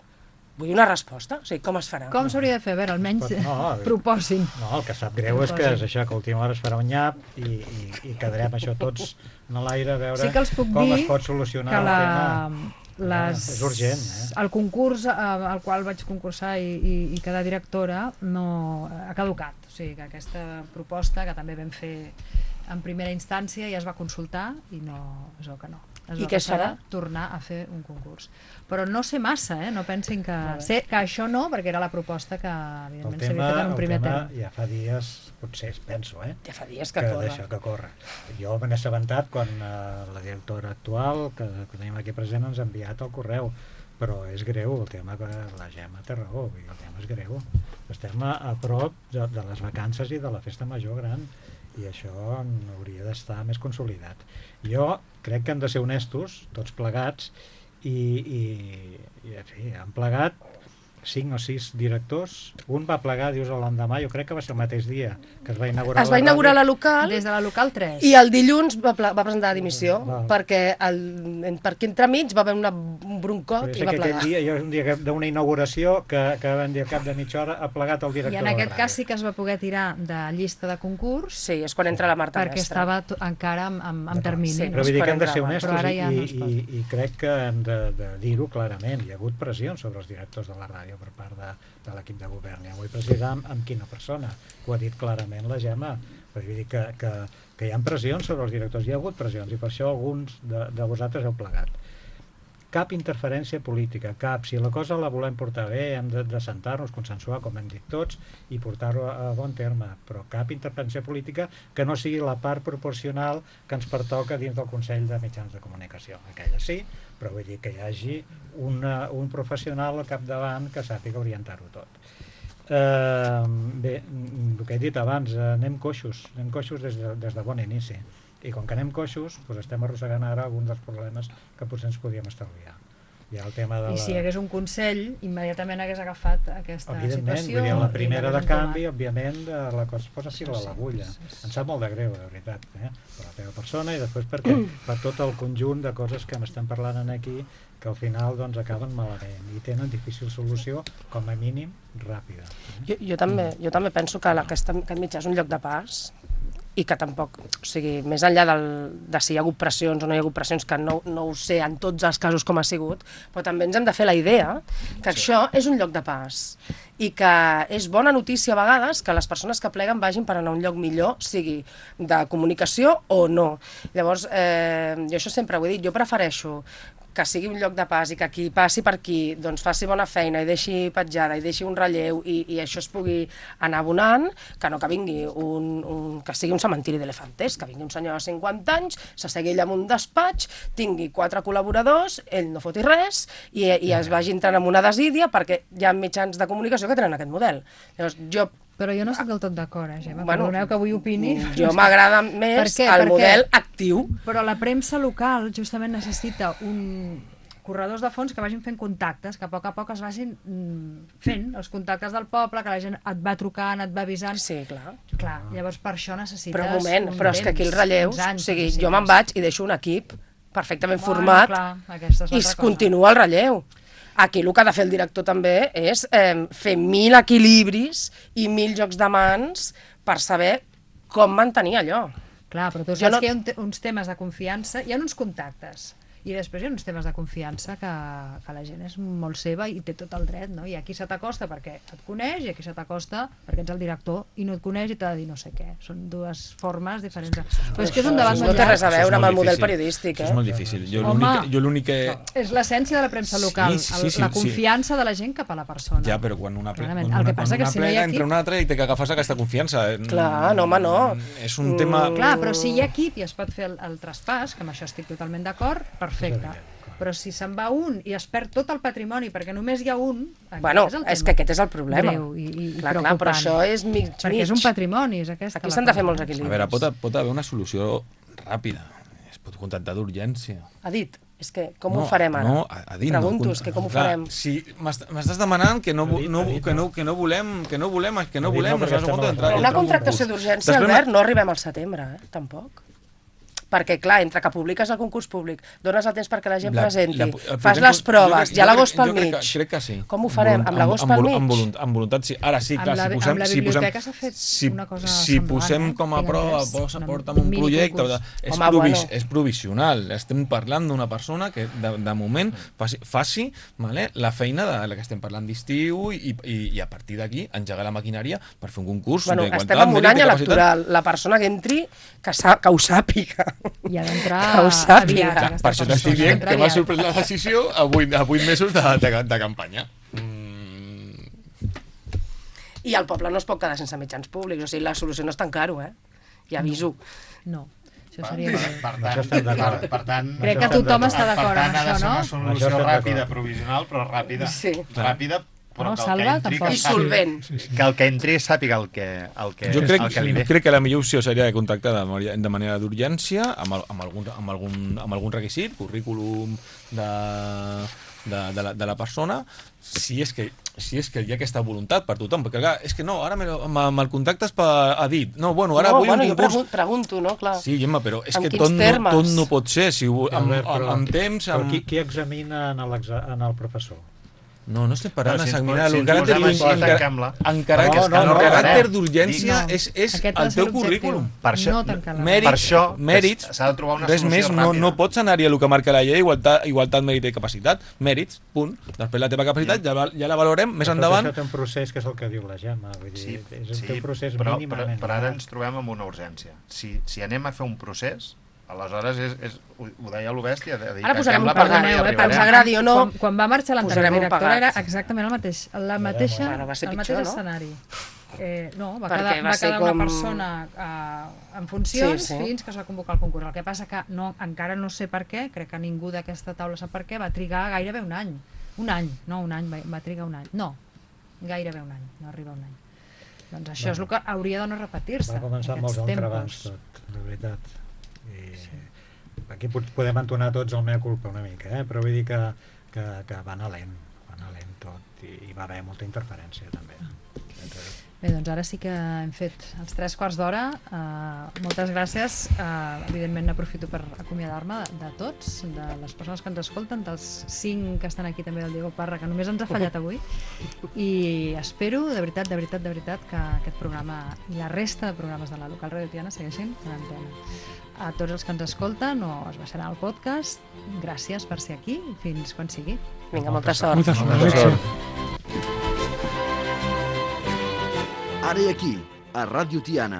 S3: vull una resposta. O sigui, com es farà?
S1: Com s'hauria de fer? A veure, almenys
S2: no,
S1: proposin.
S2: No, el que sap greu és que és això, que a última hora es farà un nyap i, i, i quedarem això tots en l'aire a veure
S1: sí que els puc
S2: com
S1: dir
S2: es pot solucionar
S1: que
S2: el
S1: la,
S2: tema.
S1: les,
S2: és urgent, eh?
S1: el concurs al qual vaig concursar i, i, i quedar directora no ha caducat. O sigui, que aquesta proposta, que també vam fer en primera instància, ja es va consultar i no, es veu que no. Es
S3: I què es farà?
S1: Tornar a fer un concurs. Però no sé massa, eh? No pensin que... Sé que això no, perquè era la proposta que, evidentment, s'havia fet en un primer terme.
S2: El tema ja fa dies, potser, penso, eh?
S3: Ja fa dies que,
S2: que
S3: corre.
S2: D'això que corre. Jo me n'he assabentat quan uh, la directora actual, que, que tenim aquí present, ens ha enviat el correu. Però és greu el tema, que la Gemma té raó, el tema és greu. Estem a, a prop de, de les vacances i de la festa major gran, i això hauria d'estar més consolidat. Jo crec que hem de ser honestos, tots plegats, i, i, i en fi, han plegat cinc o sis directors. Un va plegar, dius, l'endemà, jo crec que va ser el mateix dia que es va inaugurar
S3: es va inaugurar la, la local,
S1: des de la local tres,
S3: i el dilluns va, va presentar la dimissió,
S2: Val.
S3: perquè el, perquè entremig va haver una, un broncot i va plegar.
S2: Dia, jo un dia d'una inauguració que, que van dir al cap de mitja hora ha plegat el director.
S1: I en aquest cas sí que es va poder tirar de llista de concurs.
S3: Sí, és quan entra la Marta
S1: perquè
S3: Mestre.
S1: estava encara en, en, en termini.
S3: Sí,
S2: però vull dir que hem de ser honestos
S1: ja
S2: i,
S1: no
S2: i, i, i crec que hem de, de dir-ho clarament. Hi ha hagut pressió sobre els directors de la ràdio per part de, de l'equip de govern. Ja vull precisar amb, amb quina persona. Ho ha dit clarament la Gemma. Vull dir que, que, que hi ha pressions sobre els directors. Hi ha hagut pressions i per això alguns de, de vosaltres heu plegat. Cap interferència política, cap. Si la cosa la volem portar bé, hem de, de sentar-nos, consensuar, com hem dit tots, i portar-ho a, a bon terme, però cap interferència política que no sigui la part proporcional que ens pertoca dins del Consell de Mitjans de Comunicació. Aquella sí, però vull dir que hi hagi una, un professional al capdavant que sàpiga orientar-ho tot. Eh, bé, el que he dit abans, anem coixos, anem coixos des de, des de bon inici. I com que anem coixos, doncs estem arrossegant ara alguns dels problemes que potser ens podíem estalviar. Hi ha el tema de la...
S1: I si hi hagués un Consell, immediatament hagués agafat aquesta
S2: evidentment,
S1: situació.
S2: Evidentment, la primera de canvi, òbviament, la cosa es posa fil a l'agulla. Em sap molt de greu, de veritat, eh? Per la teva persona i després perquè per tot el conjunt de coses que m'estem parlant aquí, que al final doncs, acaben malament i tenen difícil solució, com a mínim, ràpida. Eh?
S3: Jo, jo, també, jo també penso que la, aquest, aquest mitjà és un lloc de pas, i que tampoc, o sigui, més enllà del, de si hi ha hagut pressions o no hi ha hagut pressions, que no, no ho sé en tots els casos com ha sigut, però també ens hem de fer la idea que sí. Això és un lloc de pas i que és bona notícia a vegades que les persones que pleguen vagin per anar a un lloc millor, sigui de comunicació o no. Llavors, eh, jo això sempre ho he dit, jo prefereixo que sigui un lloc de pas i que qui passi per aquí doncs faci bona feina i deixi petjada i deixi un relleu i, i això es pugui anar abonant, que no que vingui un, un, que sigui un cementiri d'elefantes, que vingui un senyor de cinquanta anys, s'assegui ell en un despatx, tingui quatre col·laboradors, ell no foti res i, i es vagi entrant en una desídia perquè hi ha mitjans de comunicació que tenen aquest model. Llavors, jo
S1: Però jo no estic del tot d'acord, eh, Gemma?
S3: Bueno,
S1: perdoneu que avui opini.
S3: Jo m'agrada més el model actiu.
S1: Però la premsa local justament necessita un corredors de fons que vagin fent contactes, que a poc a poc es vagin fent els contactes del poble, que la gent et va trucant, et va avisant.
S3: Sí, clar.
S1: Clar, llavors per això necessites
S3: però un moment,
S1: un
S3: però és que aquí els relleus,
S1: anys,
S3: o sigui, jo me'n vaig i deixo un equip perfectament
S1: bueno,
S3: format
S1: clar, i
S3: es continua el relleu. Aquí el que ha de fer el director també és eh, fer mil equilibris i mil jocs de mans per saber com mantenir allò.
S1: Clar, però tu saps no... que hi ha un te uns temes de confiança, hi ha uns contactes, i després hi ha uns temes de confiança que, que la gent és molt seva i té tot el dret, no? I aquí se t'acosta perquè et coneix i aquí se t'acosta perquè ets el director i no et coneix i t'ha de dir no sé què. Són dues formes diferents. Però és que és un debat molt llarg.
S3: No té res a veure amb el model periodístic, eh?
S6: Això és molt difícil. Jo l'únic que...
S1: És l'essència de la premsa local,
S6: sí, sí, sí,
S1: la confiança sí. de la gent cap a la persona.
S6: Ja, però quan una, pre quan
S1: el que
S6: una,
S1: passa
S6: quan
S1: que
S6: una
S1: si no hi ha equip...
S6: entre una altra i té que agafar aquesta confiança.
S3: Clar, no, home, no.
S6: És un tema...
S1: Clar, però si hi ha equip i es pot fer el, el traspàs, que amb això estic totalment d'acord, perfecte. Però si se'n va un i es perd tot el patrimoni perquè només hi ha un...
S3: Bueno, és, és que aquest és el problema.
S1: Greu i, i,
S3: clar,
S1: i
S3: clar, però això és mig,
S1: perquè
S3: mig.
S1: és un patrimoni, és aquesta.
S3: Aquí s'han de fer molts equilibris.
S6: A veure, pot, pot haver una solució ràpida. Es pot contactar d'urgència.
S3: Ha dit, és que com
S6: no,
S3: ho farem ara?
S6: No, ha dit,
S3: Pregunto,
S6: no,
S3: és que com ho
S6: clar,
S3: farem?
S6: Si m'estàs demanant que no, dit, no, dit, que, no, que no volem, que no volem, que no volem...
S3: No, una contractació d'urgència, Albert, no arribem al setembre, eh? Tampoc. Perquè, clar, entre que publiques el concurs públic, dones el temps perquè la gent
S6: La-
S3: presenti,
S6: la- el
S3: fas
S6: primer
S3: les
S6: con-
S3: proves,
S6: jo crec-
S3: hi ha
S6: jo
S3: l'agost
S6: crec-
S3: pel
S6: jo crec
S3: mig.
S6: que- Crec que sí.
S3: Com ho farem? Amb l'agost pel
S6: amb,
S3: mig?
S6: amb, voluntat, amb voluntat, sí. Ara sí, clar,
S1: Amb la-
S6: si posem...
S1: amb la
S6: si posem
S1: biblioteca s'ha fet
S6: si,
S1: una cosa
S6: si
S1: semblant,
S6: posem
S1: eh?
S6: com a
S1: Tinc
S6: prova,
S1: entès,
S6: posa,
S1: una
S6: porta'm un
S1: mini
S6: projecte...
S1: concurs.
S6: És,
S3: Home,
S6: provis,
S3: bueno.
S6: és provisional. Estem parlant d'una persona que, de, de moment, faci, faci vale, la feina de la que estem parlant d'estiu i, i, i a partir d'aquí engegar la maquinària per fer un concurs
S3: Bueno,
S6: d'igualtat,
S3: estem en un
S6: mèrit,
S3: any
S6: de capacitat.
S3: electoral. La persona que entri, que, sa que ho sàpiga.
S1: I ha d'entrar
S3: Que ho sàpiga.
S1: aviat,
S3: Clar,
S1: aquesta
S6: Per això t'estic
S1: persona,
S6: dient
S1: entra
S6: que m'ha
S1: aviat.
S6: sorprès la decisió a vuit, a vuit mesos de, de, de campanya. Mm.
S3: I el poble no es pot quedar sense mitjans públics. O sigui, la solució no és tan caro, eh? Ja aviso.
S1: No, això
S4: Per,
S1: seria...
S4: per, per,
S2: Això
S4: tant,
S2: estem d'acord.
S4: per, per tant,
S1: Crec que
S2: estem
S1: tothom
S2: d'acord.
S1: està d'acord
S4: per
S1: amb
S4: tant, ha de
S1: això,
S4: ser
S1: no?
S4: una
S2: Això
S4: solució
S2: estem
S4: ràpida,
S2: d'acord.
S4: provisional, però ràpida.
S3: Sí.
S4: Ràpida, però
S1: No,
S4: que el
S1: Salva,
S4: que entri,
S1: tampoc.
S4: que
S3: I
S4: sàpiga,
S3: solvent.
S5: Sí, sí.
S4: que el que entri sàpiga el que, el que,
S6: Jo crec,
S4: el que li ve.
S6: crec que la millor opció seria de contactar de, manera- de manera d'urgència amb, el, amb, algun, amb, algun, amb algun requisit, currículum de, de, de, la, de la persona, si és, que, si és que hi ha aquesta voluntat per tothom, perquè clar, és que no, ara me, me'l contactes per, a dit, no, bueno, ara
S3: no,
S6: vull
S3: bueno,
S6: un
S3: jo
S6: concurs...
S3: pregunto, pregunto, no? Clar.
S6: Sí, Gemma, però és
S3: En
S6: que
S3: quins
S6: tot no,
S3: termes?
S6: tot no pot ser, si, ho- amb,
S2: Albert,
S6: amb,
S2: però-
S6: amb temps...
S2: Però
S6: Amb...
S2: qui, qui examina en, l'exa- en el professor?
S6: No, no estem parlant
S4: No, si ens
S6: d'examinar
S4: po- si
S6: el
S4: ens
S6: caràcter
S4: posem així,
S6: d'urgència.
S4: tanquem-la.
S6: Encara
S2: No,
S6: que
S2: no,
S6: el
S2: no,
S6: caràcter
S2: no.
S6: d'urgència
S4: No.
S6: és, és
S1: Aquest ha de
S6: el
S1: ser
S6: teu
S1: l'objectiu.
S6: currículum.
S4: Per això,
S1: No tancar la
S6: Mèrit,
S4: per això
S6: mèrits,
S4: s'ha de trobar una
S6: res
S4: solució
S6: més, no,
S4: ràpida.
S6: no pots anar-hi a el que marca la llei, igualtat, igualtat mèrit i capacitat, mèrits, punt. Després la teva capacitat ja, la- ja la valorem més
S2: Però
S6: endavant.
S2: Tot això té un procés que és el que diu la Gemma. Vull dir,
S4: Sí,
S2: és un,
S4: sí,
S2: té un procés
S4: però, però,
S2: mínimament.
S4: però ara ens trobem amb una urgència. Si, si anem a fer un procés, aleshores és, és, ho, ho deia l'Obèstia, de dir
S3: Ara
S4: que
S3: posarem
S4: fem-la
S3: un
S4: perquè no hi
S3: perdoneu, eh,
S4: arribarem.
S3: ens agradi o no,
S1: Quan, quan va marxar l'anterior
S3: posarem un
S1: directora
S3: pegat.
S1: era exactament el mateix, la mateixa,
S3: Bueno, va ser
S1: el
S3: pitjor,
S1: mateix
S3: no?
S1: escenari. Eh, no, va
S3: Perquè
S1: quedar,
S3: va
S1: va
S3: ser
S1: quedar
S3: com-
S1: una persona eh, en funcions
S3: Sí, sí.
S1: fins que es va convocar el concurs. El que passa que no, encara no sé per què, crec que ningú d'aquesta taula sap per què, va trigar gairebé un any. Un any, no un any, va, va trigar un any. No, gairebé un any, no arriba un any. Doncs això és el que hauria de no repetir-se.
S2: Va començar amb molts
S1: aquests
S2: entrebancs
S1: tempos.
S2: tot, la veritat. I sí. Aquí pot- podem entonar tots el mea culpa una mica, eh? Però vull dir que, que, que va anar lent, va anar lent tot i hi va haver molta interferència també. Entre...
S1: Bé, doncs ara sí que hem fet els tres quarts d'hora. Uh, moltes gràcies. Uh, evidentment aprofito per acomiadar-me de, de tots, de les persones que ens escolten, dels cinc que estan aquí també del Diego Parra, que només ens ha fallat avui. I espero, de veritat, de veritat, de veritat, que aquest programa i la resta de programes de la local Radio Tiana segueixin en antena. A tots els que ens escolten o es baixaran al podcast, gràcies per ser aquí i fins quan sigui.
S3: Vinga, molta sort.
S5: Molta sort.
S6: Molta sort.
S5: Alexia.
S7: Ara i aquí, a Ràdio Tiana,